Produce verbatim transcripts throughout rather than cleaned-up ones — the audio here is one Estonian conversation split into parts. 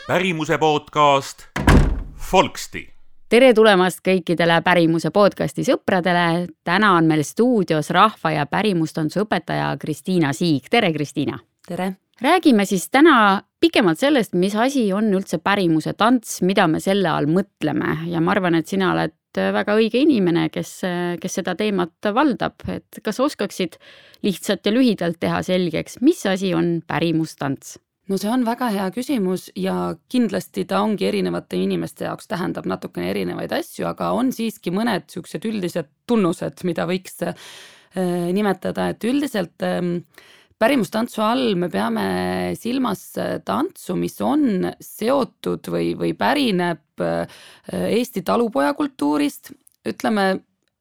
pärimuse podcast Folksti. Tere tulemast kõikidele pärimuse podcasti sõpradele. Täna on meil stuudios rahva- ja pärimustantsu õpetaja Kristiina Siig. Tere, Kristiina! Tere! Räägime siis täna pikemalt sellest, mis asi on üldse pärimuse tants, mida me selle all mõtleme. Ja ma arvan, et sina oled väga õige inimene, kes, kes seda teemat valdab. Et kas oskaksid lihtsalt ja lühidalt teha selgeks, mis asi on pärimustants? No see on väga hea küsimus ja kindlasti ta ongi erinevate inimeste jaoks tähendab natukene erinevaid asju, aga on siiski mõned siuksed üldised tunnused, mida võiks äh, nimetada, et üldiselt äh, pärimustantsu all me peame silmas tantsu, mis on seotud või, või pärineb äh, Eesti talupojakultuurist, ütleme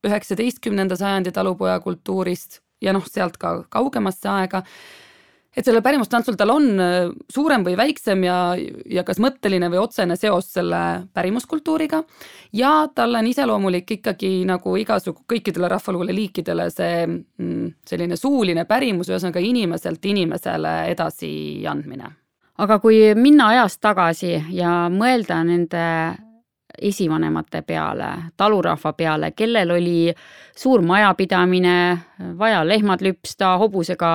üheksateistkümnenda sajandi talupojakultuurist ja noh, sealt ka kaugemasse aega. Et selle pärimustantsul tal on suurem või väiksem ja, ja kas mõtteline või otsene seos selle pärimuskultuuriga ja tal on iseloomulik ikkagi nagu igasugu kõikidele rahvaluule liikidele see selline suuline pärimus, ühesõnaga inimeselt inimesele edasi andmine. Aga kui minna ajast tagasi ja mõelda nende esivanemate peale, talurahva peale, kellel oli suur majapidamine, vaja lehmad lüpsta, hobusega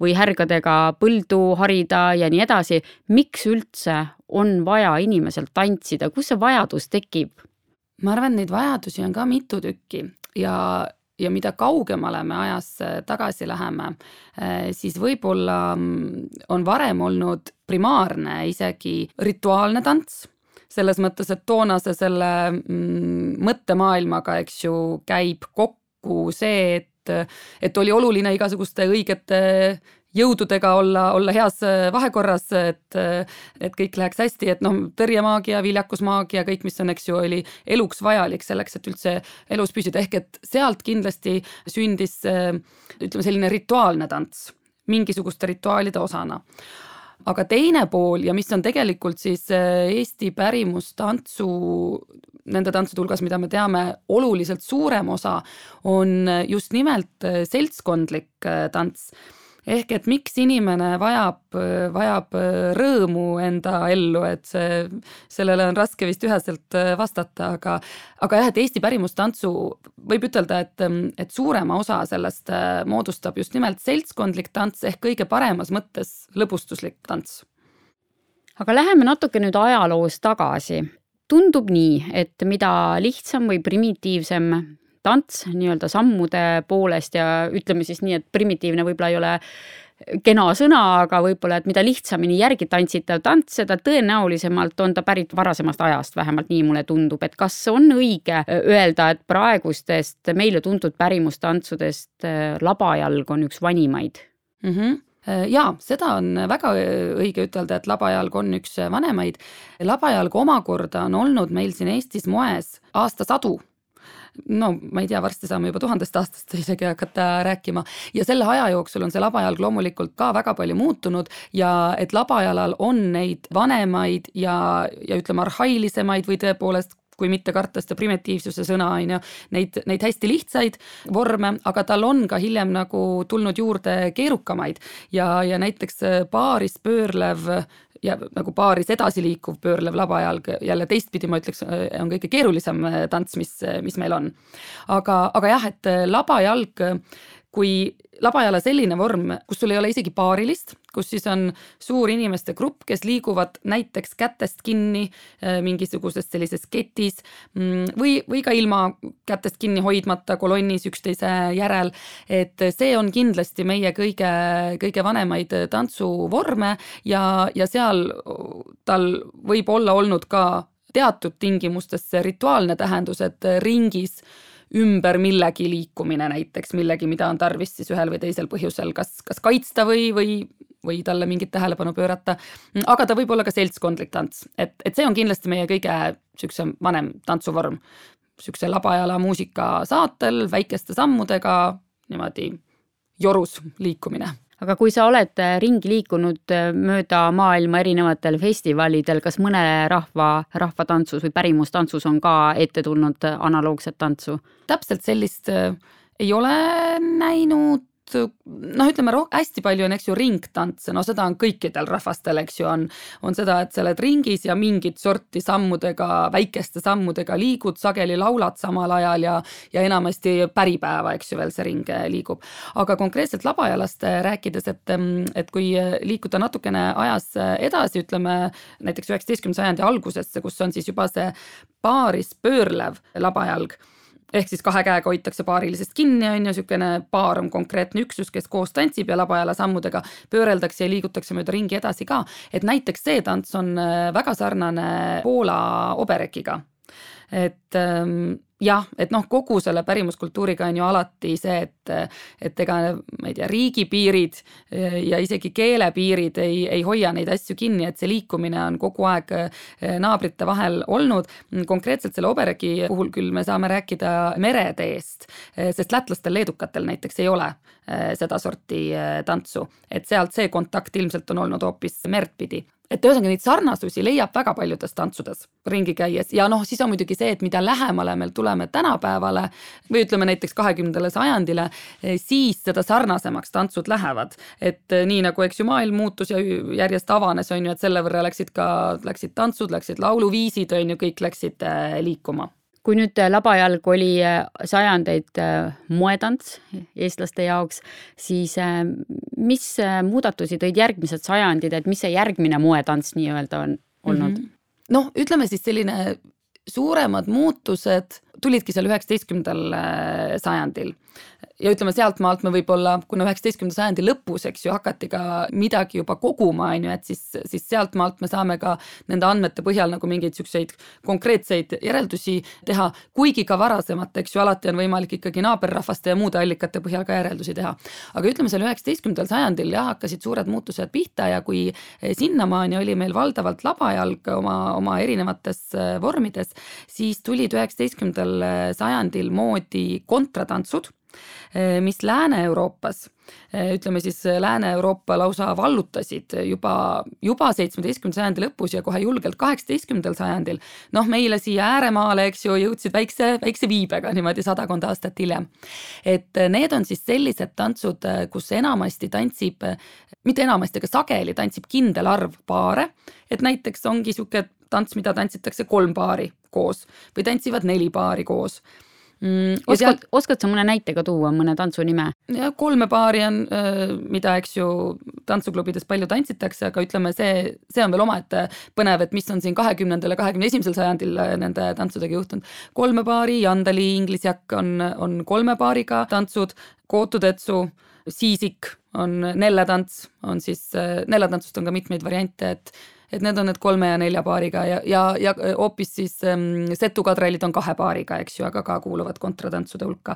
või härgadega põldu harida ja nii edasi. Miks üldse on vaja inimesel tantsida? Kus see vajadus tekib? Ma arvan, neid vajadusi on ka mitu tükki ja, ja mida kaugemale me ajas tagasi läheme, siis võib-olla on varem olnud primaarne isegi rituaalne tants. Selles mõttes, et toonase selle mm, mõttemaailmaga, eks ju, käib kokku see, et, et oli oluline igasuguste õigete jõududega olla, olla heas vahekorras, et, et kõik läheks hästi, et noh, tõrjemaagia, viljakusmaagia, kõik, mis on, eks ju, oli eluks vajalik selleks, et üldse elus püsida. Ehk et sealt kindlasti sündis, ütleme, selline rituaalne tants, mingisuguste rituaalide osana. Aga teine pool ja mis on tegelikult siis Eesti pärimustantsu, nende tantsude hulgas, mida me teame, oluliselt suurem osa, on just nimelt seltskondlik tants. Ehk et miks inimene vajab, vajab rõõmu enda ellu, et see, sellele on raske vist üheselt vastata, aga, aga jah, et Eesti pärimustantsu võib ütelda, et, et suurema osa sellest moodustab just nimelt seltskondlik tants ehk kõige paremas mõttes lõbustuslik tants. Aga läheme natuke nüüd ajaloos tagasi. Tundub nii, et mida lihtsam või primitiivsem tants nii-öelda sammude poolest ja ütleme siis nii, et primitiivne võib-olla ei ole kena sõna, aga võib-olla, et mida lihtsamini järgi tantsitav tants, seda tõenäolisemalt on ta pärit varasemast ajast, vähemalt nii mulle tundub, et kas on õige öelda, et praegustest meile tuntud pärimustantsudest labajalg on üks vanimaid? Mhm. Jaa, seda on väga õige ütelda, et labajalg on üks vanemaid. Labajalg omakorda on olnud meil siin Eestis moes aastasadu. No ma ei tea, varsti saame juba tuhandest aastast isegi hakata rääkima ja selle aja jooksul on see labajalg loomulikult ka väga palju muutunud ja et labajalal on neid vanemaid ja, ja ütleme arhailisemaid või tõepoolest kui mitte karta seda primitiivsuse sõna, neid, neid hästi lihtsaid vorme, aga tal on ka hiljem nagu tulnud juurde keerukamaid ja, ja näiteks paaris pöörlev ja nagu paaris edasi liikuv pöörlev labajalg, jälle teistpidi ma ütleks, on kõige keerulisem tants, mis, mis meil on. Aga, aga jah, et labajalg, kui labajala selline vorm, kus sul ei ole isegi paarilist, kus siis on suur inimeste grupp, kes liiguvad näiteks kätest kinni mingisuguses sellises ketis või, või ka ilma kätest kinni hoidmata kolonnis üksteise järel, et see on kindlasti meie kõige, kõige vanemaid tantsuvorme ja, ja seal tal võib olla olnud ka teatud tingimustes see rituaalne tähendus, et ringis ümber millegi liikumine näiteks, millegi, mida on tarvis siis ühel või teisel põhjusel kas, kas kaitsta või, või, või talle mingit tähelepanu pöörata, aga ta võib olla ka seltskondlik tants, et, et see on kindlasti meie kõige sükse vanem tantsuvorm, sükse labajala muusika saatel, väikeste sammudega, niimoodi jorus liikumine. Aga kui sa oled ringi liikunud mööda maailma erinevatel festivalidel, kas mõne rahva, rahvatantsus või pärimustantsus on ka ette tulnud analoogset tantsu? Täpselt sellist ei ole näinud noh, ütleme roh-, hästi palju on, eks ju, ringtantse, no seda on kõikidel rahvastel, eks ju, on, on seda, et sa oled ringis ja mingit sorti sammudega, väikeste sammudega liigud, sageli laulad samal ajal ja, ja enamasti päripäeva, eks ju, veel see ring liigub. Aga konkreetselt labajalast rääkides, et, et kui liikuda natukene ajas edasi, ütleme näiteks üheksateistkümnenda sajandi algusesse, kus on siis juba see paaris pöörlev labajalg, ehk siis kahe käega hoitakse paarilisest kinni, on ju, sükene paar on konkreetne üksus, kes koos tantsib ja labajala sammudega pööreldakse ja liigutakse mööda ringi edasi ka. Et näiteks see tants on väga sarnane Poola oberekiga. Et ähm, jah, et noh, kogu selle pärimuskultuuriga on ju alati see, et, et ega ma ei tea, riigipiirid ja isegi keelepiirid ei, ei hoia neid asju kinni, et see liikumine on kogu aeg naabrite vahel olnud. Konkreetselt selle obereki puhul küll me saame rääkida mereteest, sest lätlastel, leedukatel näiteks ei ole seda sorti tantsu, et sealt see kontakt ilmselt on olnud hoopis merd pidi. Et ühesõnaga neid sarnasusi leiab väga paljudes tantsudes ringi käies ja noh, siis on muidugi see, et mida lähemale meil tuleme tänapäevale või ütleme näiteks kahekümnendale sajandile, siis seda sarnasemaks tantsud lähevad. Et nii nagu eks ju maailm muutus ja järjest avanes, on ju, et selle võrra läksid ka, läksid tantsud, läksid lauluviisid, on ju, kõik läksid liikuma. Kui nüüd labajalg oli sajandeid moetants eestlaste jaoks, siis mis muudatusi tõid järgmised sajandid, et mis see järgmine moetants nii-öelda on olnud? Mm-hmm. Noh, ütleme siis selline suuremad muutused tulidki seal üheksateistkümnendal sajandil. Ja ütleme sealt maalt me võib-olla, kuna üheksateistkümnenda sajandi lõpus, eks ju, hakati ka midagi juba koguma, on ju, et siis, siis sealt maalt me saame ka nende andmete põhjal nagu mingeid sükseid konkreetseid järeldusi teha, kuigi ka varasemat, eks ju, alati on võimalik ikkagi naaberrahvaste ja muude allikate põhjal ka järeldusi teha. Aga ütleme seal üheksateistkümnendal sajandil jah, hakkasid suured muutused pihta ja kui sinnamaani oli meil valdavalt labajalg oma, oma erinevates vormides, siis tulid üheksateistkümnendal sajandil moodi kontratantsud, mis Lääne-Euroopas, ütleme siis Lääne-Euroopa lausa vallutasid juba, juba seitsmeteistkümnenda sajandi lõpus ja kohe julgelt kaheksateistkümnendal sajandil. Noh, meile siia ääremaale, eks ju, jõudsid väikse, väikse viibega niimoodi sadakond aastat hiljem. Et need on siis sellised tantsud, kus enamasti tantsib, mitte enamasti, aga sageli tantsib kindel arv paare, et näiteks ongi siuke tants, mida tantsitakse kolm paari koos või tantsivad neli paari koos. Mm, oskad, sealt, oskad sa mõne näitega tuua, mõne tantsu nime? Ja kolme paari on, mida eks ju tantsuklubides palju tantsitakse, aga ütleme, see, see on veel omaette põnev, et mis on siin kahekümnendal ja kahekümne esimesel sajandil nende tantsudega juhtunud. Kolme paari, jandali, inglisjakk on, on kolme paariga tantsud, kootutetsu, siisik on nelletants, on siis, nelletantsust on ka mitmeid variante, et et need on need kolme ja nelja paariga ja, ja, ja hoopis siis ähm, setukadrellid on kahe paariga, eks ju, aga ka kuuluvad kontratantsude hulka.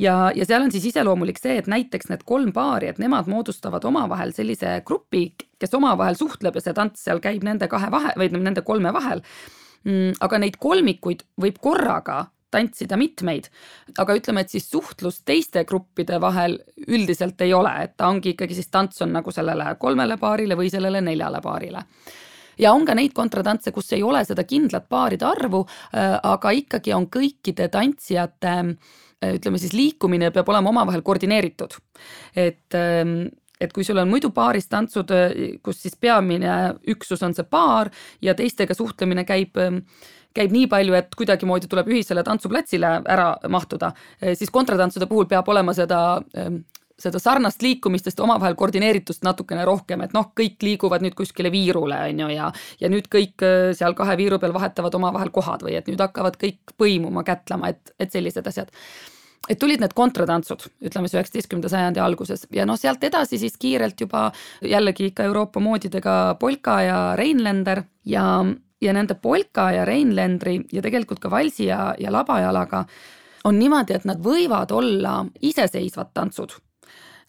Ja, ja seal on siis iseloomulik see, et näiteks need kolm paari, et nemad moodustavad omavahel sellise grupi, kes omavahel suhtleb ja see tants seal käib nende kahe vahe, või nende kolme vahel. Mm, aga neid kolmikuid võib korraga tantsida mitmeid, aga ütleme, et siis suhtlus teiste gruppide vahel üldiselt ei ole, et ta ongi ikkagi siis tants on nagu sellele kolmele paarile või sellele neljale paarile. Ja on ka neid kontratantse, kus ei ole seda kindlat paaride arvu, aga ikkagi on kõikide tantsijate, ütleme siis liikumine peab olema omavahel koordineeritud. Et, et kui sul on muidu paaris tantsud, kus siis peamine üksus on see paar ja teistega suhtlemine käib käib nii palju, et kuidagimoodi tuleb ühisele tantsuplatsile ära mahtuda, siis kontratantsude puhul peab olema seda seda sarnast liikumistest omavahel koordineeritust natukene rohkem, et noh, kõik liiguvad nüüd kuskile viirule, on ju, ja, ja nüüd kõik seal kahe viiru peal vahetavad omavahel kohad või et nüüd hakkavad kõik põimuma, kätlema, et, et sellised asjad. Et tulid need kontratantsud, ütleme see üheksateistkümnenda sajandi alguses ja noh, sealt edasi siis kiirelt juba jällegi ikka Euroopa moodidega polka ja reinländer ja, ja nende polka ja reinländri ja tegelikult ka valsi ja, ja labajalaga on niimoodi, et nad võivad olla iseseisvad tantsud.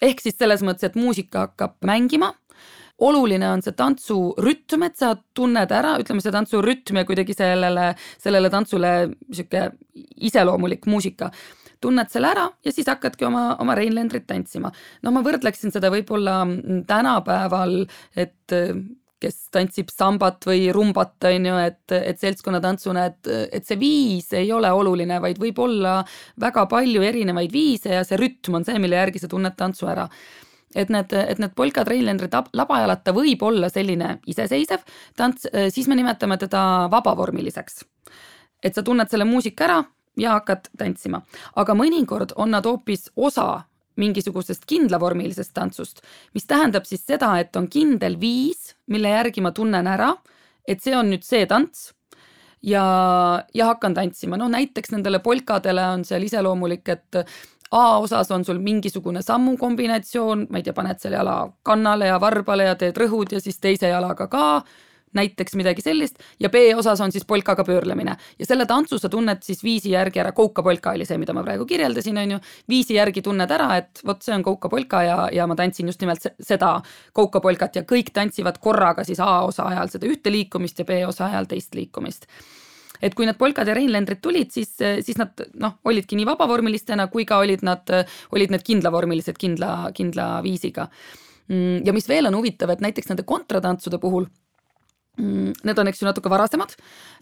Ehk siis selles mõttes, et muusika hakkab mängima. Oluline on see tantsu rütm, et sa tunned ära, ütleme see tantsu rütm ja kuidagi sellele, sellele tantsule siuke iseloomulik muusika. Tunned selle ära ja siis hakkadki oma, oma reinländrit tantsima. No ma võrdleksin seda võib-olla tänapäeval, et kes tantsib sambat või rumbat, on ju, et, et seltskonnatantsuna, et, et see viis ei ole oluline, vaid võib olla väga palju erinevaid viise ja see rütm on see, mille järgi sa tunned tantsu ära. Et need, et need polka trailendrid labajalata võib olla selline iseseisev tants, siis me nimetame teda vabavormiliseks. Et sa tunned selle muusika ära ja hakkad tantsima. Aga mõnikord on nad hoopis osa mingisugusest kindlavormilisest tantsust, mis tähendab siis seda, et on kindel viis, mille järgi ma tunnen ära, et see on nüüd see tants ja, ja hakkan tantsima. No näiteks nendele polkadele on seal iseloomulik, et A osas on sul mingisugune sammu kombinatsioon, ma ei tea, paned selle jala kannale ja varbale ja teed rõhud ja siis teise jalaga ka, näiteks midagi sellist, ja B osas on siis polkaga pöörlemine. Ja selle tantsu sa tunned siis viisi järgi ära, koukapolka oli see, mida ma praegu kirjeldasin, on ju, viisi järgi tunned ära, et vot see on koukapolka ja, ja ma tantsin just nimelt seda koukapolkat ja kõik tantsivad korraga siis A osa ajal seda ühte liikumist ja B osa ajal teist liikumist. Et kui need polkad ja reinlendrid tulid, siis, siis nad noh, olidki nii vabavormilistena, kui ka olid nad, olid need kindlavormilised kindla, kindla viisiga. Ja mis veel on huvitav, et näiteks nende kontratantsude puhul, need on eks ju natuke varasemad,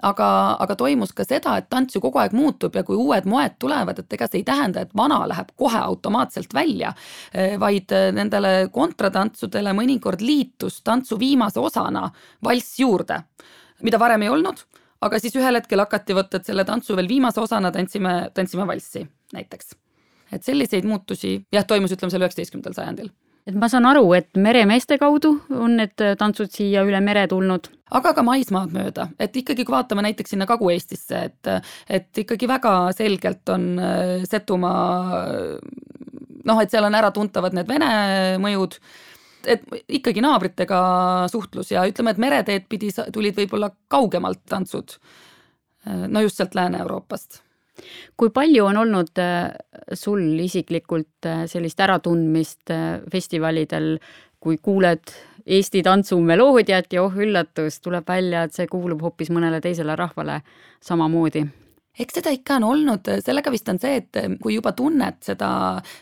aga, aga toimus ka seda, et tants ju kogu aeg muutub ja kui uued moed tulevad, et ega see ei tähenda, et vana läheb kohe automaatselt välja, vaid nendele kontratantsudele mõnikord liitus tantsu viimase osana valss juurde, mida varem ei olnud, aga siis ühel hetkel hakati võtta, et selle tantsu veel viimase osana tantsime, tantsime valssi näiteks. Et selliseid muutusi jah, toimus ütleme selle üheksateistkümnendal sajandil. Et ma saan aru, et meremeeste kaudu on need tantsud siia üle mere tulnud. Aga ka maismaad mööda, et ikkagi kui vaatame näiteks sinna Kagu-Eestisse, et, et ikkagi väga selgelt on Setumaa, noh, et seal on ära tuntavad need vene mõjud, et ikkagi naabritega suhtlus ja ütleme, et mereteed pidi tulid võib-olla kaugemalt tantsud, no just sealt Lääne-Euroopast. Kui palju on olnud sul isiklikult sellist äratundmist festivalidel, kui kuuled Eesti tantsu meloodiat ja oh üllatus, tuleb välja, et see kuulub hoopis mõnele teisele rahvale samamoodi? Eks seda ikka on olnud, sellega vist on see, et kui juba tunned seda,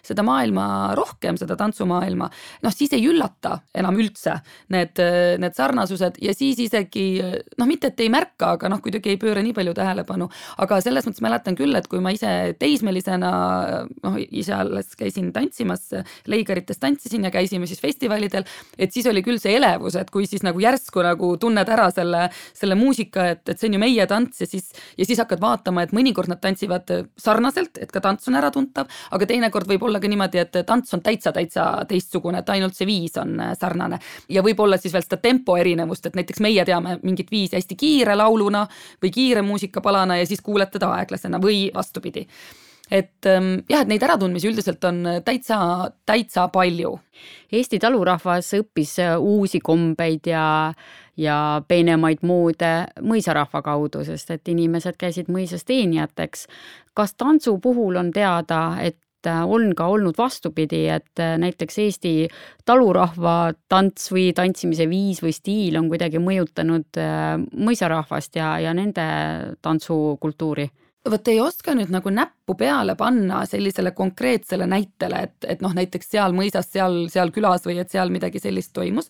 seda maailma rohkem, seda tantsumaailma, noh siis ei üllata enam üldse need, need sarnasused ja siis isegi, noh mitte, et ei märka, aga noh kuidagi ei pööra nii palju tähelepanu, aga selles mõttes mäletan küll, et kui ma ise teismelisena, noh ise alles käisin tantsimas, Leigarites tantsisin ja käisime siis festivalidel, et siis oli küll see elevus, et kui siis nagu järsku nagu tunned ära selle, selle muusika, et, et see on ju meie tants ja siis, ja siis hakkad vaatama, et mõnikord nad tantsivad sarnaselt, et ka tants on äratuntav, aga teinekord võib olla ka niimoodi, et tants on täitsa, täitsa teistsugune, et ainult see viis on sarnane. Ja võib olla siis veel seda tempo erinevust, et näiteks meie teame mingit viisi hästi kiire lauluna või kiire muusikapalana ja siis kuuled teda aeglasena või vastupidi. Et jah, et neid äratundmisi üldiselt on täitsa, täitsa palju. Eesti talurahvas õppis uusi kombeid ja, ja peenemaid moode mõisarahva kaudu, sest et inimesed käisid mõisas teenijateks. Kas tantsu puhul on teada, et on ka olnud vastupidi, et näiteks Eesti talurahva tants või tantsimise viis või stiil on kuidagi mõjutanud mõisarahvast ja, ja nende tantsukultuuri? Võt ei oska nüüd nagu näppu peale panna sellisele konkreetsele näitele, et, et noh, näiteks seal mõisas, seal, seal külas või et seal midagi sellist toimus,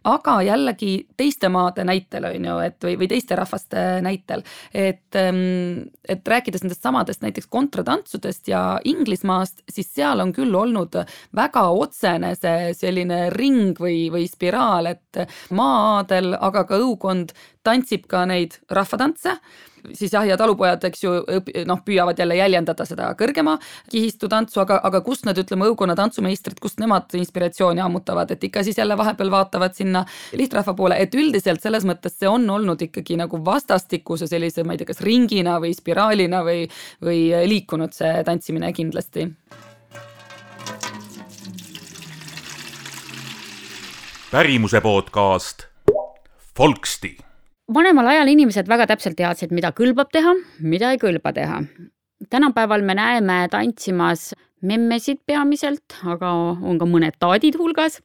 aga jällegi teiste maade näitel on ju, et või, või teiste rahvaste näitel, et, et rääkides nendest samadest näiteks kontratantsudest ja Inglismaast, siis seal on küll olnud väga otsene see selline ring või, või spiraal, et maa-aadel, aga ka õukond tantsib ka neid rahvatantse, siis jah, ja talupojad, eks ju, noh, püüavad jälle jäljendada seda kõrgema kihistu tantsu, aga, aga kust nad, ütleme, õukonna tantsumeistrid, kust nemad inspiratsiooni ammutavad, et ikka siis jälle vahepeal vaatavad sinna lihtrahva poole, et üldiselt selles mõttes see on olnud ikkagi nagu vastastikuse sellise, ma ei tea, kas ringina või spiraalina või, või liikunud see tantsimine kindlasti. Pärimuse podcast Folksti. Vanemal ajal inimesed väga täpselt teadsid, mida kõlbab teha, mida ei kõlba teha. Tänapäeval me näeme tantsimas memmesid peamiselt, aga on ka mõned taadid hulgas.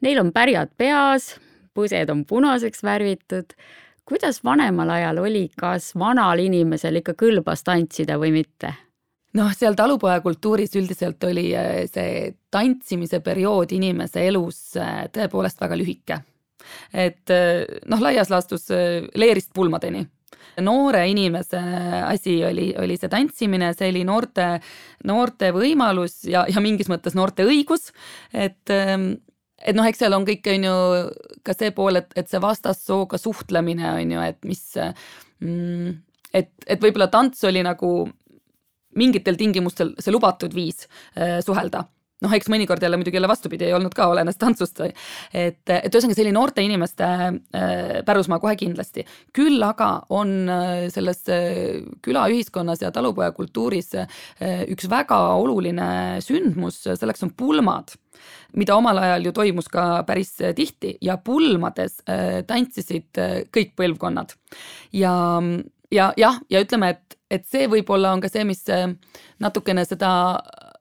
Neil on pärjad peas, põsed on punaseks värvitud. Kuidas vanemal ajal oli, kas vanal inimesel ikka kõlbas tantsida või mitte? Noh, seal talupoja kultuuris üldiselt oli see tantsimise periood inimese elus tõepoolest väga lühike. et noh, laias laastus leerist pulmadeni. Noore inimese asi oli, oli see tantsimine, see oli noorte, noorte võimalus ja, ja mingis mõttes noorte õigus, et, et noh, eks seal on kõik on ju ka see pool, et, et see vastassooga suhtlemine on ju, et mis, et, et võib-olla tants oli nagu mingitel tingimustel see lubatud viis suhelda. Noh, eks mõnikord jälle muidugi jälle vastupidi ei olnud ka olenes tantsust. Et, et ühesõnaga see oli noorte inimeste pärusmaa kohe kindlasti. Küll aga on selles külaühiskonnas ja talupojakultuuris üks väga oluline sündmus, selleks on pulmad, mida omal ajal ju toimus ka päris tihti ja pulmades tantsisid kõik põlvkonnad. Ja, ja, jah, ja ütleme, et, et see võib-olla on ka see, mis natukene seda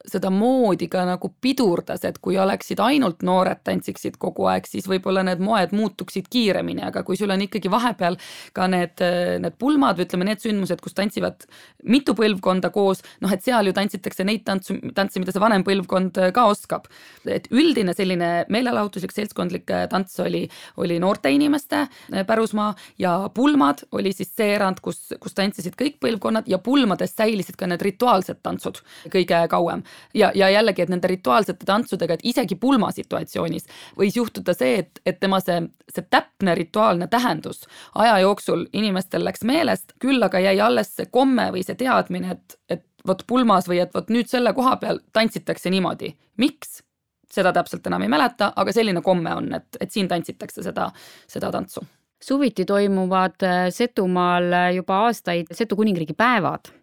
seda moodi ka nagu pidurdas, et kui oleksid ainult noored tantsiksid kogu aeg, siis võib-olla need moed muutuksid kiiremini, aga kui sul on ikkagi vahepeal ka need, need pulmad või ütleme need sündmused, kus tantsivad mitu põlvkonda koos, noh et seal ju tantsitakse neid tantsu, tantsi, mida see vanem põlvkond ka oskab. Et üldine selline meelelahutuslik seltskondlik tants oli, oli noorte inimeste pärusmaa ja pulmad oli siis see erand, kus, kus tantsisid kõik põlvkonnad ja pulmades säilisid ka need rituaalsed tantsud kõige kauem. Ja, ja jällegi, et nende rituaalsete tantsudega, et isegi pulma situatsioonis võis juhtuda see, et, et tema see, see täpne rituaalne tähendus aja jooksul inimestel läks meelest, küll aga jäi alles see komme või see teadmine, et, et võt pulmas või et võt nüüd selle koha peal tantsitakse niimoodi. Miks? Seda täpselt enam ei mäleta, aga selline komme on, et, et siin tantsitakse seda, seda tantsu. Suviti toimuvad Setumaal juba aastaid Setu kuningriigi päevad.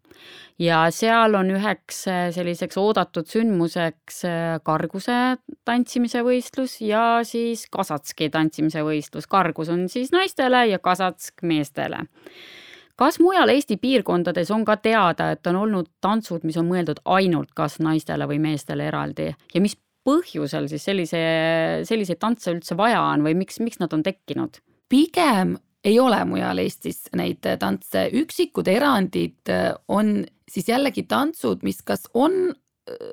Ja seal on üheks selliseks oodatud sündmuseks karguse tantsimise võistlus ja siis kasatski tantsimise võistlus. Kargus on siis naistele ja kasatsk meestele. Kas mujal Eesti piirkondades on ka teada, et on olnud tantsud, mis on mõeldud ainult kas naistele või meestele eraldi ja mis põhjusel siis sellise, selliseid tantse üldse vaja on või miks, miks nad on tekkinud? Pigem ei ole mujal Eestis neid tantse. Üksikud erandid on siis jällegi tantsud, mis kas on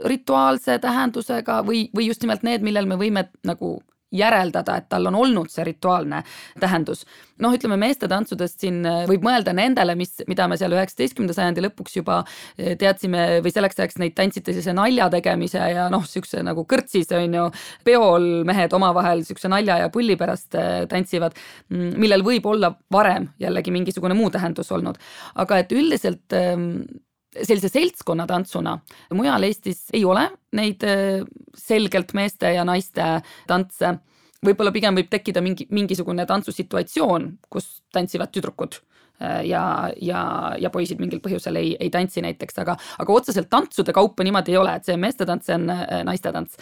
rituaalse tähendusega või, või just nimelt need, millel me võime nagu järeldada, et tal on olnud see rituaalne tähendus. Noh, ütleme meeste tantsudest siin võib mõelda nendele, mis, mida me seal üheksateistkümnenda sajandi lõpuks juba teadsime või selleks ajaks neid tantsite siis nalja tegemise ja noh, siukse nagu kõrtsis on ju peol mehed omavahel siukse nalja ja pulli pärast tantsivad, millel võib olla varem jällegi mingisugune muu tähendus olnud. Aga et üldiselt sellise seltskonna tantsuna mujal Eestis ei ole neid selgelt meeste ja naiste tantse. Võib-olla pigem võib tekkida mingi, mingisugune tantsusituatsioon, kus tantsivad tüdrukud ja, ja, ja poisid mingil põhjusel ei, ei tantsi näiteks, aga, aga otseselt tantsude kaupa niimoodi ei ole, et see meeste tants on naiste tants.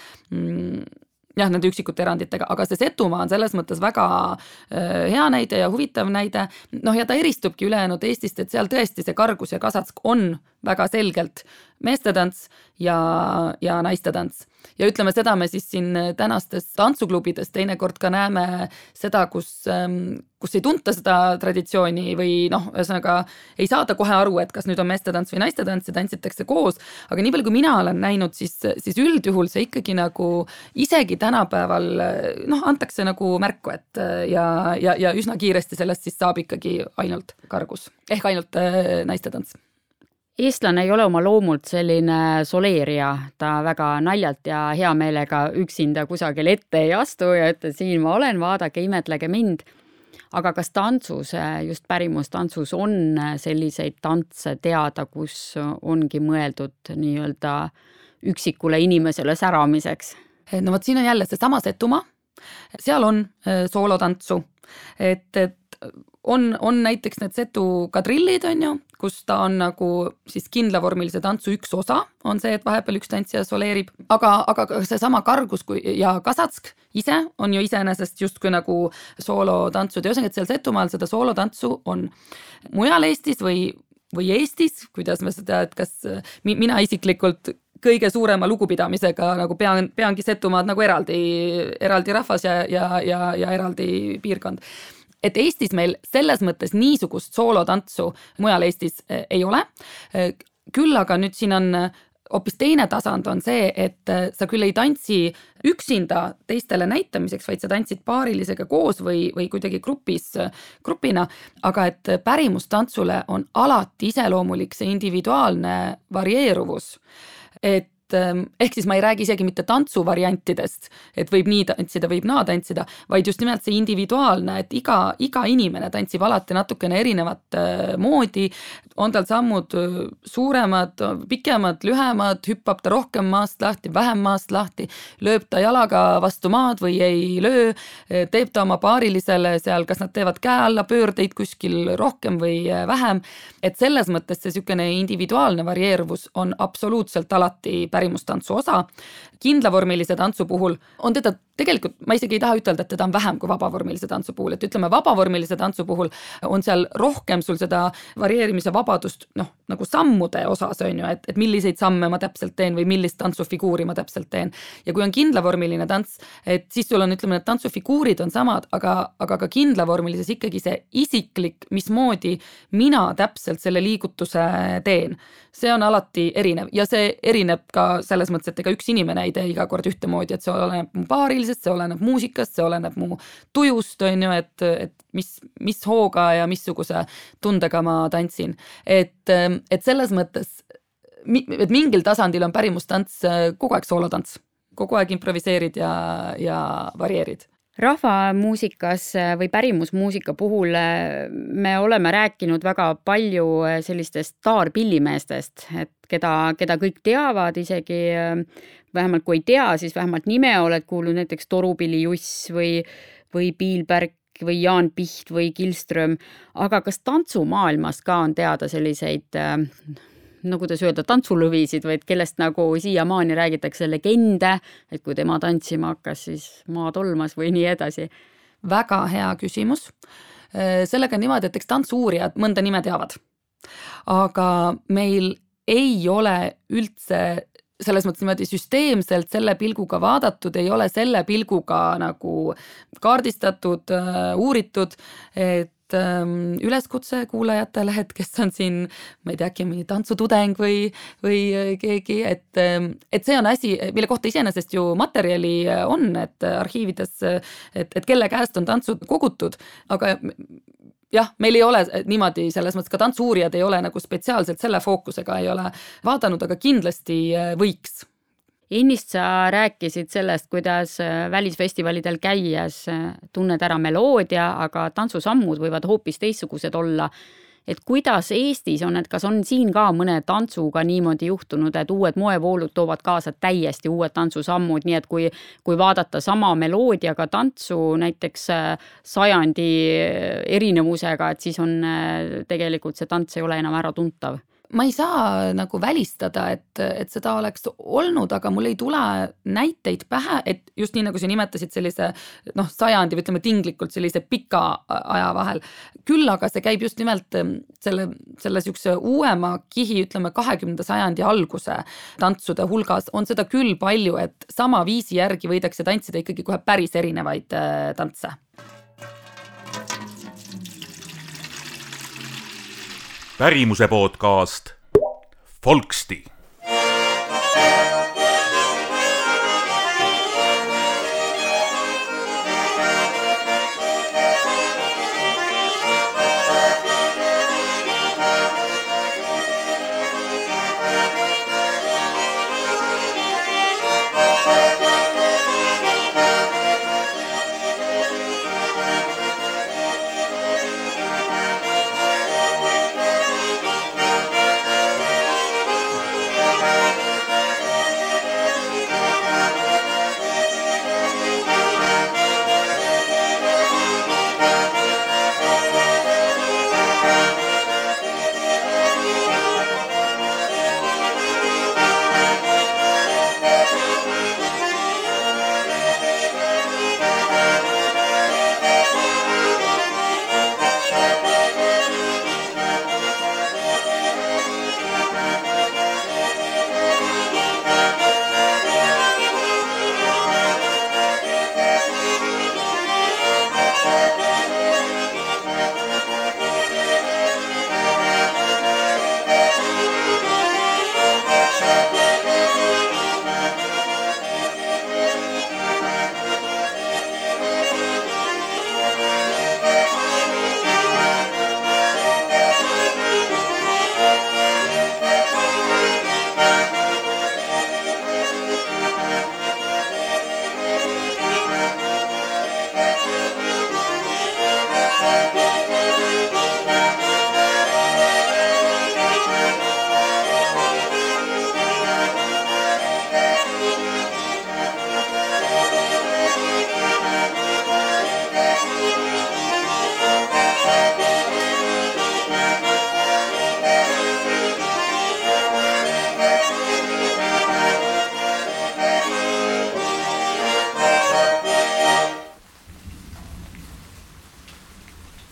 Jah, nende üksikute eranditega, aga see Setumaa on selles mõttes väga hea näide ja huvitav näide. Noh, ja ta eristubki ülejäänud Eestist, et seal tõesti see kargus ja kasatsk on väga selgelt meestetants ja, ja naistetants. Ja ütleme, seda me siis siin tänastes tantsuklubides teinekord ka näeme seda, kus, kus ei tunta seda traditsiooni või noh, ühesõnaga ei saada kohe aru, et kas nüüd on meestetants või naistetants ja tantsitakse koos, aga nii palju, kui mina olen näinud, siis, siis üldjuhul see ikkagi nagu isegi tänapäeval noh, antakse nagu märku, et ja, ja, ja üsna kiiresti sellest siis saab ikkagi ainult kargus, ehk ainult naistetants. Eestlane ei ole oma loomult selline soleerija, ta väga naljalt ja hea meelega üksinda kusagil ette ei astu ja ütle, siin ma olen, vaadake, imetlege mind. Aga kas tantsus, just pärimustantsus on selliseid tantse teada, kus ongi mõeldud nii-öelda üksikule inimesele säramiseks? No võt, siin on jälle see sama Setumaa, seal on soolotantsu, et, et on, on näiteks need Setu kadrillid, on ju, kus ta on nagu siis kindlavormilise tantsu üks osa, on see, et vahepeal üks tantsija soleerib, aga, aga see sama kargus kui, ja kasatsk ise on ju iseenesest justkui nagu soolotantsud ja ühesõnaga, et seal Setumaal seda soolotantsu on. Mujal Eestis või, või Eestis, kuidas me seda, et kas mina isiklikult kõige suurema lugupidamisega nagu pean, peangi Setumaad nagu eraldi, eraldi rahvas ja, ja, ja, ja eraldi piirkond. Et Eestis meil selles mõttes niisugust soolotantsu mujal Eestis ei ole. Küll aga nüüd siin on hoopis teine tasand on see, et sa küll ei tantsi üksinda teistele näitamiseks, vaid sa tantsid paarilisega koos või, või kuidagi grupis, grupina, aga et pärimustantsule on alati iseloomulik see individuaalne varieeruvus, et ehk siis ma ei räägi isegi mitte tantsuvariantidest, et võib nii tantsida, võib naa tantsida, vaid just nimelt see individuaalne, et iga, iga inimene tantsib alati natukene erinevat moodi, on tal sammud suuremad, pikemad, lühemad, hüppab ta rohkem maast lahti, vähem maast lahti, lööb ta jalaga vastu maad või ei löö, teeb ta oma paarilisele seal, kas nad teevad käe alla pöördeid kuskil rohkem või vähem, et selles mõttes see sükene individuaalne varieeruvus on absoluutselt alati päris pärimustantsu osa. Kindlavormilise tantsu puhul on teda tegelikult, ma isegi ei taha ütelda, et teda on vähem kui vabavormilise tantsu puhul, et ütleme, vabavormilise tantsu puhul on seal rohkem sul seda varieerimise vabadust, noh, nagu sammude osas on ju, et, et milliseid samme ma täpselt teen või millist tantsufiguuri ma täpselt teen. Ja kui on kindlavormiline tants, et siis sul on, ütleme, need tantsufiguurid on samad, aga, aga ka kindlavormilises ikkagi see isiklik, mismoodi mina täpselt selle liigutuse teen. See on alati erinev ja see erineb ka selles mõttes, et ega üks inimene ei tee iga kord ühtemoodi, et see oleneb mu paarilisest, see oleneb muusikast, see oleneb mu tujust, on ju, et, et mis, mis hooga ja missuguse tundega ma tantsin. Et, et selles mõttes, et mingil tasandil on pärimustants kogu aeg soolotants, kogu aeg improviseerid ja, ja varieerid. Rahvamuusikas või pärimusmuusika puhul me oleme rääkinud väga palju sellistest staarpillimeestest, et keda, keda kõik teavad, isegi vähemalt kui ei tea, siis vähemalt nime oled kuulnud, näiteks Torupilli Juss või, või Piilberg või Jaan Piht või Kilström, aga kas tantsumaailmas ka on teada selliseid no kuidas öelda, tantsulõvisid, vaid kellest nagu siiamaani räägitakse legende, et kui tema tantsima hakkas, siis maa tolmas või nii edasi. Väga hea küsimus. Sellega on niimoodi, et eks tantsuurijad mõnda nime teavad. Aga meil ei ole üldse selles mõttes niimoodi süsteemselt selle pilguga vaadatud, ei ole selle pilguga nagu kaardistatud, uuritud, et üleskutse kuulajatele, et kes on siin, ma ei tea, äkki mõni tantsutudeng või, või keegi, et, et see on asi, mille kohta iseenesest ju materjali on, et arhiivides, et, et kelle käest on tantsud kogutud, aga jah, meil ei ole niimoodi, selles mõttes ka tantsuurijad ei ole nagu spetsiaalselt selle fookusega ei ole vaadanud, aga kindlasti võiks. Ennist sa rääkisid sellest, kuidas välisfestivalidel käies tunned ära meloodia, aga tantsusammud võivad hoopis teistsugused olla. Et kuidas Eestis on, et kas on siin ka mõne tantsuga niimoodi juhtunud, et uued moevoolud toovad kaasa täiesti uued tantsusammud, nii et kui, kui vaadata sama meloodiaga tantsu näiteks sajandi erinevusega, et siis on tegelikult see tants ei ole enam ära tuntav. Ma ei saa nagu välistada, et, et seda oleks olnud, aga mul ei tule näiteid pähe, et just nii nagu sa nimetasid sellise noh, sajandi või ütleme tinglikult sellise pika aja vahel. Küll aga see käib just nimelt selle, selle sükse uuema kihi, ütleme kahekümnenda sajandi alguse tantsude hulgas on seda küll palju, et sama viisi järgi võidakse tantsida ikkagi kohe päris erinevaid tantse. Pärimuse podcast Folksti.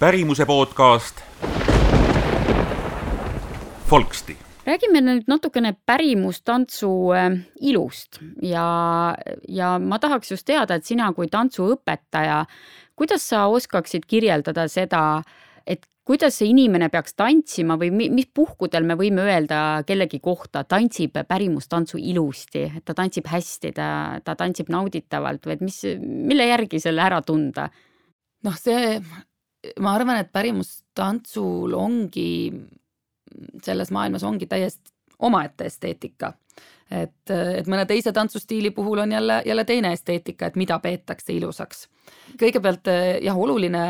pärimuse podcast Folksti. Räägime nüüd natukene pärimustantsu ilust ja, ja ma tahaks just teada, et sina kui tantsuõpetaja, kuidas sa oskaksid kirjeldada seda, et kuidas see inimene peaks tantsima või mis puhkudel me võime öelda kellegi kohta, tantsib pärimustantsu ilusti, et ta tantsib hästi, ta, ta tantsib nauditavalt või et mis, mille järgi selle ära tunda? Noh, see, ma arvan, et pärimustantsul ongi, selles maailmas ongi täiesti omaette esteetika. Et, et mõne teise tantsustiili puhul on jälle, jälle teine esteetika, et mida peetakse ilusaks. Kõigepealt jah, oluline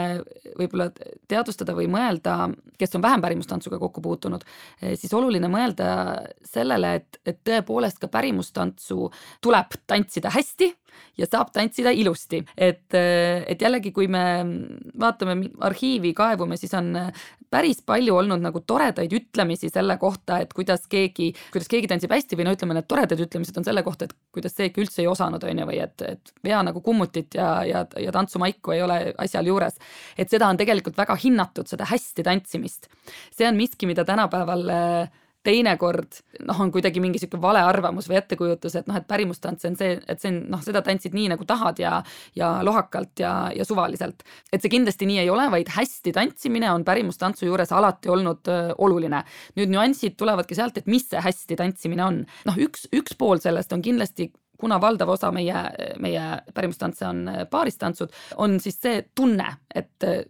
võib-olla teadvustada või mõelda, kes on vähem pärimustantsuga kokku puutunud, siis oluline mõelda sellele, et, et tõepoolest ka pärimustantsu tuleb tantsida hästi ja saab tantsida ilusti. Et, et jällegi, kui me vaatame arhiivi, kaevume, siis on päris palju olnud nagu toredaid ütlemisi selle kohta, et kuidas keegi, kuidas keegi tantsib hästi või no ütleme, need toredad ütlemised on selle kohta, et kuidas see ikka üldse ei osanud, on ju, või et, et vea nagu kummutit ja, ja, ja tantsumaiku ei ole asjal juures. Et seda on tegelikult väga hinnatud, seda hästi tantsimist. See on miski, mida tänapäeval teinekord noh, on kuidagi mingi siuke vale arvamus või ettekujutus, et noh, et pärimustants on see, et see on, noh, seda tantsid nii nagu tahad ja, ja lohakalt ja, ja suvaliselt. Et see kindlasti nii ei ole, vaid hästi tantsimine on pärimustantsu juures alati olnud öö, oluline. Nüüd nüansid tulevadki sealt, et mis see hästi tantsimine on. Noh, üks, üks pool sellest on kindlasti, kuna valdav osa meie, meie pärimustantse on paaristantsud, on siis see tunne, et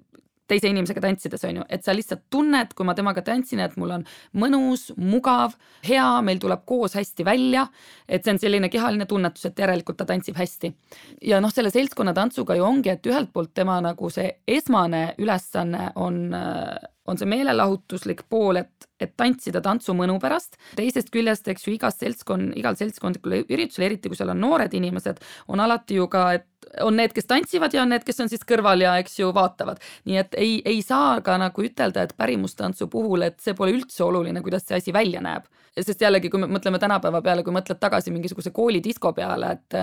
teise inimesega tantsides on ju, et sa lihtsalt tunned, kui ma temaga tantsin, et mul on mõnus, mugav, hea, meil tuleb koos hästi välja, et see on selline kehaline tunnetus, et järelikult ta tantsib hästi. Ja noh, selle seltskonna tantsuga ju ongi, et ühelt poolt tema nagu see esmane ülesanne on, on see meelelahutuslik pool, et, et tantsida tantsu mõnu pärast. Teisest küljest, eks ju, igas seltskond, igal seltskondlikul üritusel, eriti kui seal on noored inimesed, on alati ju ka, et on need, kes tantsivad ja on need, kes on siis kõrval ja eks ju vaatavad. Nii et ei, ei saa ka nagu ütelda, et pärimustantsu puhul, et see pole üldse oluline, kuidas see asi välja näeb. Sest jällegi, kui me mõtleme tänapäeva peale, kui mõtled tagasi mingisuguse koolidisko peale, et,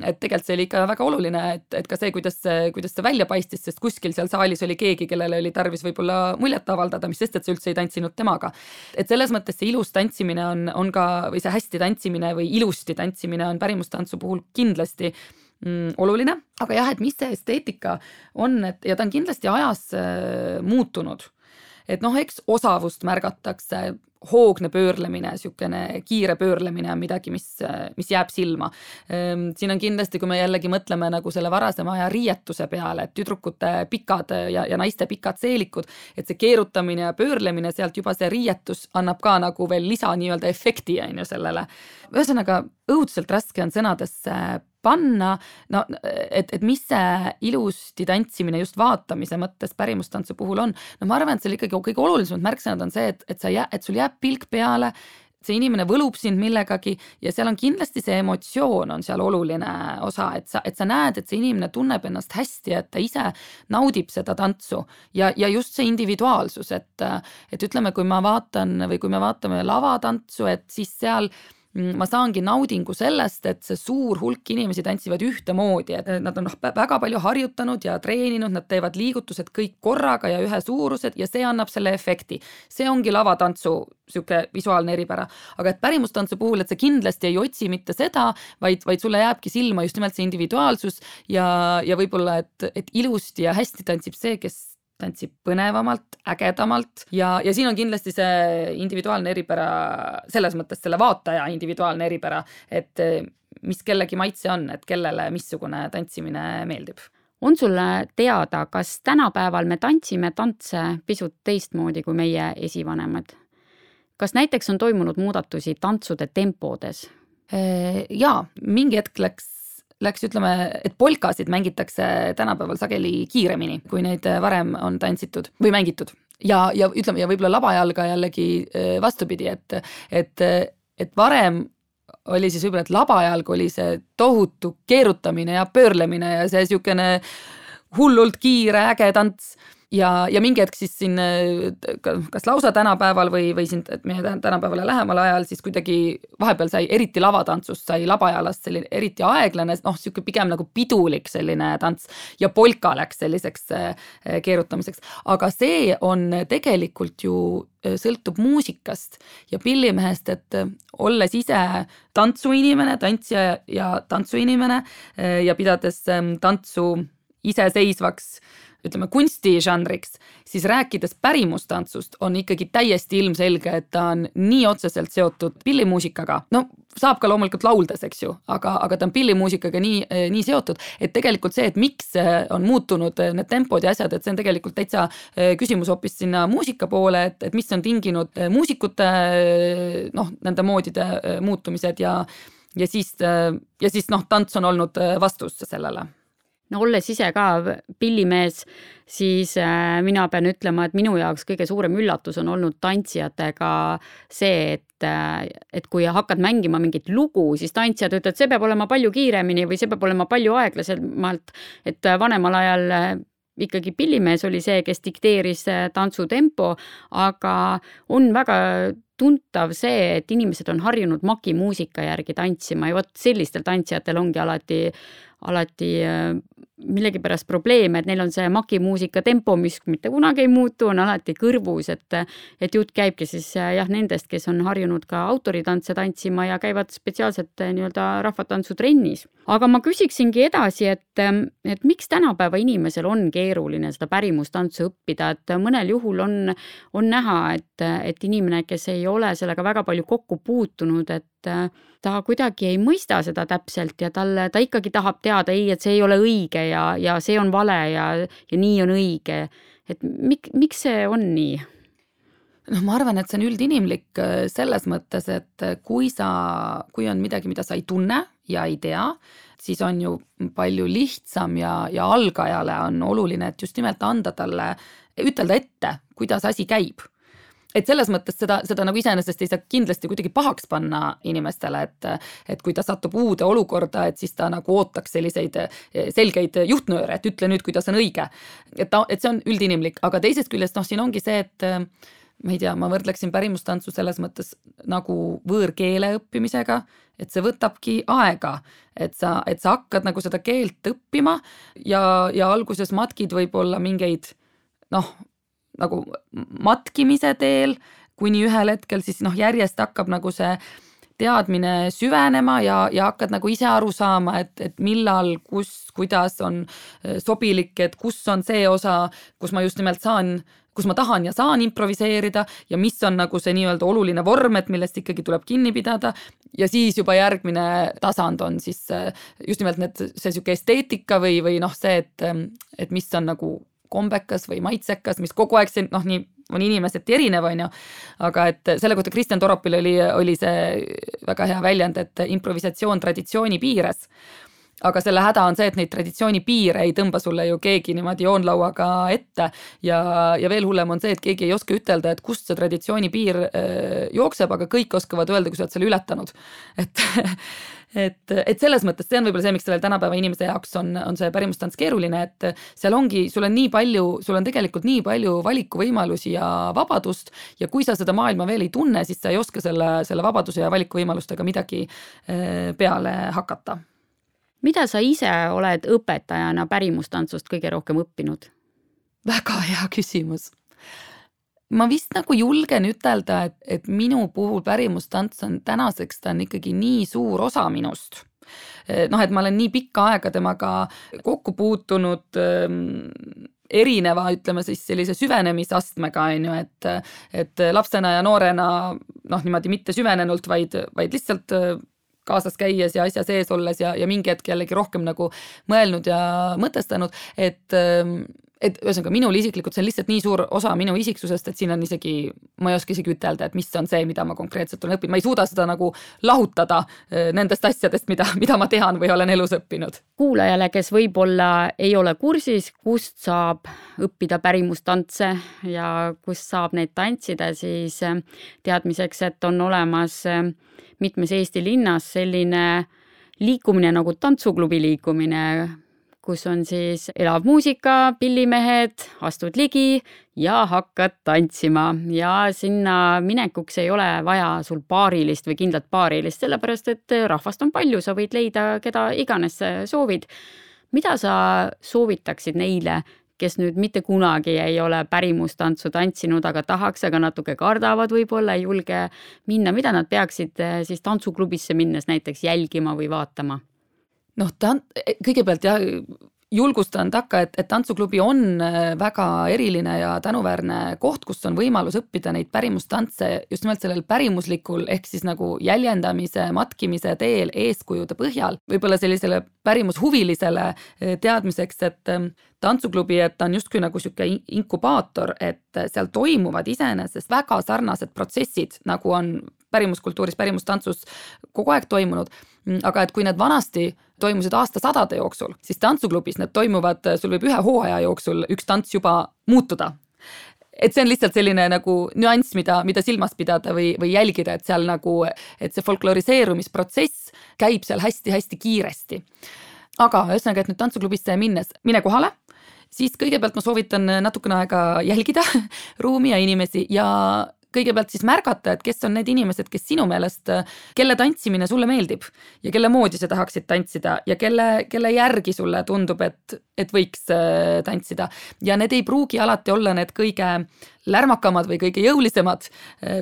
et tegelikult see oli ikka väga oluline, et, et ka see, kuidas, kuidas see välja paistis, sest kuskil seal saalis oli keegi, kellele oli tarvis võib-olla muljet avaldada, mis sest, et see üldse ei tantsinud temaga. Et selles mõttes see ilus tantsimine on, on ka, või see hästi tantsimine või ilusti tantsimine on pärimustantsu puhul kindlasti mm, oluline. Aga jah, et mis see esteetika on, et, ja ta on kindlasti ajas äh, muutunud. Et noh, eks osavust märgatakse, hoogne pöörlemine, siukene kiire pöörlemine on midagi, mis, mis jääb silma. Siin on kindlasti, kui me jällegi mõtleme nagu selle varasema aja riietuse peale, et tüdrukute pikad ja, ja naiste pikad seelikud, et see keerutamine ja pöörlemine sealt juba see riietus annab ka nagu veel lisa nii-öelda efekti on ju sellele. Ühesõnaga, õudselt raske on sõnadesse panna, no, et, et mis see ilusti tantsimine just vaatamise mõttes pärimustantsu puhul on. No ma arvan, et seal ikkagi kõige olulisemad märksõnad on see, et, et, sa jää, et sul jääb pilk peale, see inimene võlub sind millegagi ja seal on kindlasti see emotsioon on seal oluline osa, et sa, et sa näed, et see inimene tunneb ennast hästi, et ta ise naudib seda tantsu ja, ja just see individuaalsus, et, et ütleme, kui ma vaatan või kui me vaatame lavatantsu, et siis seal ma saangi naudingu sellest, et see suur hulk inimesi tantsivad ühtemoodi, et nad on väga palju harjutanud ja treeninud, nad teevad liigutused kõik korraga ja ühe suurused ja see annab selle efekti. See ongi lavatantsu siuke visuaalne eripära. Aga et pärimustantsu puhul, et see kindlasti ei otsi mitte seda, vaid, vaid sulle jääbki silma just nimelt see individuaalsus ja, ja võib-olla, et, et ilusti ja hästi tantsib see, kes tantsib põnevamalt, ägedamalt ja, ja siin on kindlasti see individuaalne eripära, selles mõttes selle vaataja individuaalne eripära, et mis kellegi maitse on, et kellele missugune tantsimine meeldib. On sulle teada, kas tänapäeval me tantsime tantse pisut teistmoodi kui meie esivanemad? Kas näiteks on toimunud muudatusi tantsude tempodes? Jaa, mingi hetk läks Läks ütleme, et polkasid mängitakse tänapäeval sageli kiiremini, kui neid varem on tantsitud või mängitud. Ja, ja ütleme, ja võib-olla labajalga jällegi vastupidi, et, et, et varem oli siis võib-olla, et labajalg oli see tohutu keerutamine ja pöörlemine ja see siukene hullult kiire äge tants. ja, ja mingi hetk siis siin kas lausa tänapäeval või, või siin meie tänapäevale lähemal ajal siis kuidagi vahepeal sai eriti lavatantsust sai labajalast selline eriti aeglane, noh, siuke pigem nagu pidulik selline tants ja polka läks selliseks keerutamiseks. Aga see on tegelikult ju sõltub muusikast ja pillimehest, et olles ise tantsuinimene, tantsija ja tantsuinimene ja pidades tantsu iseseisvaks ütleme kunstižanriks, siis rääkides pärimustantsust on ikkagi täiesti ilmselge, et ta on nii otseselt seotud pillimuusikaga. No saab ka loomulikult lauldes, eks ju, aga, aga ta on pillimuusikaga nii, nii seotud, et tegelikult see, et miks on muutunud need tempod ja asjad, et see on tegelikult täitsa küsimus hoopis sinna muusika poole, et, et mis on tinginud muusikute noh, nende moodide muutumised ja, ja siis, ja siis noh, tants on olnud vastus sellele. No olles ise ka pillimees, siis mina pean ütlema, et minu jaoks kõige suurem üllatus on olnud tantsijatega see, et, et kui hakkad mängima mingit lugu, siis tantsijad ütlevad, et see peab olema palju kiiremini või see peab olema palju aeglasemalt, et vanemal ajal ikkagi pillimees oli see, kes dikteeris tantsutempo, aga on väga tuntav see, et inimesed on harjunud makimuusika järgi tantsima ja vot sellistel tantsijatel ongi alati alati millegipärast probleeme, et neil on see makimuusika tempo, mis mitte kunagi ei muutu, on alati kõrvus, et, et jutt käibki siis jah nendest, kes on harjunud ka autoritantse tantsima ja käivad spetsiaalselt nii-öelda rahvatantsutrennis. Aga ma küsiksingi edasi, et, et miks tänapäeva inimesel on keeruline seda pärimustantsu õppida, et mõnel juhul on, on näha, et, et inimene, kes ei ole sellega väga palju kokku puutunud, et ta kuidagi ei mõista seda täpselt ja talle, ta ikkagi tahab teada, ei, et see ei ole õige ja, ja see on vale ja, ja nii on õige. Et mik, miks see on nii? No ma arvan, et see on üldinimlik selles mõttes, et kui sa, kui on midagi, mida sa ei tunne ja ei tea, siis on ju palju lihtsam ja, ja algajale on oluline, et just nimelt anda talle, ütelda ette, kuidas asi käib. Et selles mõttes seda, seda nagu iseenesest ei saa kindlasti kuidagi pahaks panna inimestele, et, et kui ta satub uude olukorda, et siis ta nagu ootaks selliseid selgeid juhtnööre, et ütle nüüd, kuidas on õige. Et, ta, et see on üldinimlik, aga teisest küljest noh, siin ongi see, et ma ei tea, ma võrdleksin pärimustantsu selles mõttes nagu võõrkeele õppimisega, et see võtabki aega, et sa, et sa hakkad nagu seda keelt õppima ja, ja alguses matkid võib-olla mingeid noh, nagu matkimise teel, kuni ühel hetkel siis noh, järjest hakkab nagu see teadmine süvenema ja, ja hakkad nagu ise aru saama, et, et millal, kus, kuidas on sobilik, et kus on see osa, kus ma just nimelt saan, kus ma tahan ja saan improviseerida ja mis on nagu see nii-öelda oluline vorm, et millest ikkagi tuleb kinni pidada ja siis juba järgmine tasand on siis just nimelt need, see siuke esteetika või, või noh see, et, et mis on nagu kombekas või maitsekas, mis kogu aeg see, noh nii on inimesed erinev, on ju, aga et selle kohta Kristjan Toropil oli, oli see väga hea väljend, et improvisatsioon traditsiooni piires. Aga selle häda on see, et neid traditsiooni piire ei tõmba sulle ju keegi niimoodi joonlauaga ette ja, ja veel hullem on see, et keegi ei oska ütelda, et kust see traditsiooni piir jookseb, aga kõik oskavad öelda, kui sa oled selle ületanud. Et Et, et selles mõttes see on võib-olla see, miks sellel tänapäeva inimese jaoks on, on see pärimustants keeruline, et seal ongi, sul on nii palju, sul on tegelikult nii palju valikuvõimalusi ja vabadust ja kui sa seda maailma veel ei tunne, siis sa ei oska selle, selle vabaduse ja valikuvõimalustega midagi peale hakata. Mida sa ise oled õpetajana pärimustantsust kõige rohkem õppinud? Väga hea küsimus. Ma vist nagu julgen ütelda, et, et minu puhul pärimustants on tänaseks, ta on ikkagi nii suur osa minust. Noh, et ma olen nii pikka aega temaga kokku puutunud erineva, ütleme siis sellise süvenemisastmega, on ju, et, et lapsena ja noorena noh, niimoodi mitte süvenenult, vaid, vaid lihtsalt kaasas käies ja asja sees olles ja, ja mingi hetk jällegi rohkem nagu mõelnud ja mõtestanud, et et ühesõnaga minul isiklikult see on lihtsalt nii suur osa minu isiksusest, et siin on isegi, ma ei oska isegi ütelda, et mis on see, mida ma konkreetselt olen õppinud. Ma ei suuda seda nagu lahutada nendest asjadest, mida, mida ma tean või olen elus õppinud. Kuulajale, kes võib-olla ei ole kursis, kust saab õppida pärimustantse ja kust saab neid tantsida, siis teadmiseks, et on olemas mitmes Eesti linnas selline liikumine nagu tantsuklubi liikumine, kus on siis elav muusika, pillimehed, astud ligi ja hakkad tantsima ja sinna minekuks ei ole vaja sul paarilist või kindlat paarilist, sellepärast et rahvast on palju, sa võid leida, keda iganes soovid. Mida sa soovitaksid neile, kes nüüd mitte kunagi ei ole pärimustantsu tantsinud, aga tahaks, aga natuke kardavad võib-olla, ei julge minna, mida nad peaksid siis tantsuklubisse minnes näiteks jälgima või vaatama? Noh, ta kõigepealt jah, julgustan takka, et, et tantsuklubi on väga eriline ja tänuväärne koht, kus on võimalus õppida neid pärimustantse just nimelt sellel pärimuslikul ehk siis nagu jäljendamise, matkimise teel eeskujude põhjal. Võib-olla sellisele pärimushuvilisele teadmiseks, et tantsuklubi, et ta on justkui nagu siuke inkubaator, et seal toimuvad iseenesest väga sarnased protsessid, nagu on pärimuskultuuris, pärimustantsus kogu aeg toimunud, aga et kui need vanasti toimusid aastasadade jooksul, siis tantsuklubis need toimuvad, sul võib ühe hooaja jooksul üks tants juba muutuda. Et see on lihtsalt selline nagu nüanss, mida, mida silmas pidada või, või jälgida, et seal nagu, et see folkloriseerumisprotsess käib seal hästi-hästi kiiresti. Aga ühesõnaga, et nüüd tantsuklubisse minnes, mine kohale, siis kõigepealt ma soovitan natukene aega jälgida ruumi ja inimesi ja kõigepealt siis märgata, et kes on need inimesed, kes sinu meelest, kelle tantsimine sulle meeldib ja kelle moodi sa tahaksid tantsida ja kelle, kelle järgi sulle tundub, et, et võiks tantsida. Ja need ei pruugi alati olla need kõige lärmakamad või kõige jõulisemad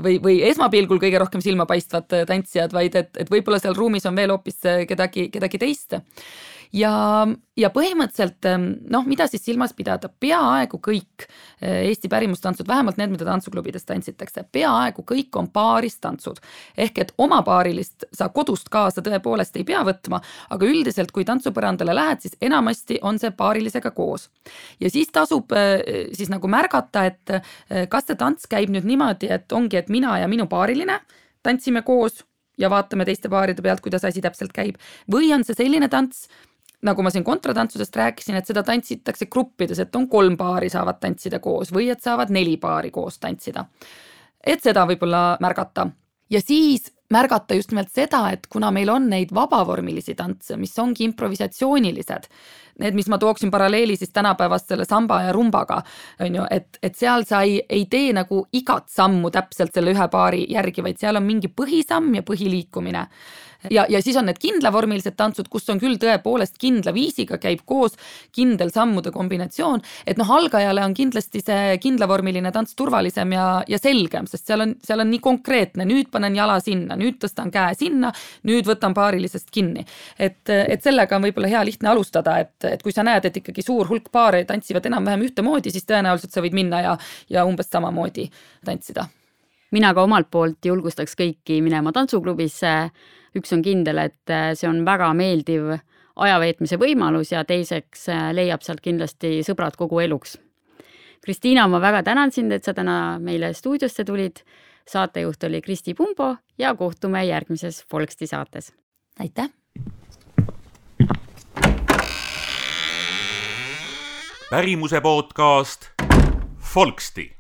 või, või esmapilgul kõige rohkem silmapaistvad tantsijad, vaid et, et võib-olla seal ruumis on veel hoopis kedagi, kedagi teist. Ja, ja põhimõtteliselt, noh, mida siis silmas pidada, peaaegu kõik Eesti pärimustantsud, vähemalt need, mida tantsuklubides tantsitakse, peaaegu kõik on paaristantsud. Ehk et oma paarilist sa kodust kaasa tõepoolest ei pea võtma, aga üldiselt, kui tantsupõrandale lähed, siis enamasti on see paarilisega koos. Ja siis tasub siis nagu märgata, et kas see tants käib nüüd niimoodi, et ongi, et mina ja minu paariline tantsime koos ja vaatame teiste paaride pealt, kuidas asi täpselt käib. Või on see selline tants, nagu ma siin kontratantsusest rääkisin, et seda tantsitakse gruppides, et on kolm paari saavad tantsida koos või et saavad neli paari koos tantsida. Et seda võib-olla märgata. Ja siis märgata just nimelt seda, et kuna meil on neid vabavormilisi tantse, mis ongi improvisatsioonilised, need, mis ma tooksin paralleeli siis tänapäevast selle samba ja rumbaga, on ju, et, et seal sa ei, ei tee nagu igat sammu täpselt selle ühe paari järgi, vaid seal on mingi põhisamm ja põhiliikumine. Ja, ja siis on need kindlavormilised tantsud, kus on küll tõepoolest kindla viisiga, käib koos kindel sammude kombinatsioon, et noh, algajale on kindlasti see kindlavormiline tants turvalisem ja, ja selgem, sest seal on, seal on nii konkreetne, nüüd panen jala sinna, nüüd tõstan käe sinna, nüüd võtan paarilisest kinni. Et, et sellega on võib-olla hea lihtne alustada, et, et kui sa näed, et ikkagi suur hulk paare tantsivad enam-vähem ühtemoodi, siis tõenäoliselt sa võid minna ja, ja umbes samamoodi tantsida. Mina ka omalt poolt julgustaks kõiki minema tantsuklubisse. Üks on kindel, et see on väga meeldiv ajaveetmise võimalus ja teiseks leiab sealt kindlasti sõbrad kogu eluks. Kristiina, ma väga tänan sind, et sa täna meile stuudiosse tulid. Saatejuht oli Kristi Pumbo ja kohtume järgmises Folksti saates. Aitäh! Pärimuse podcast Folksti.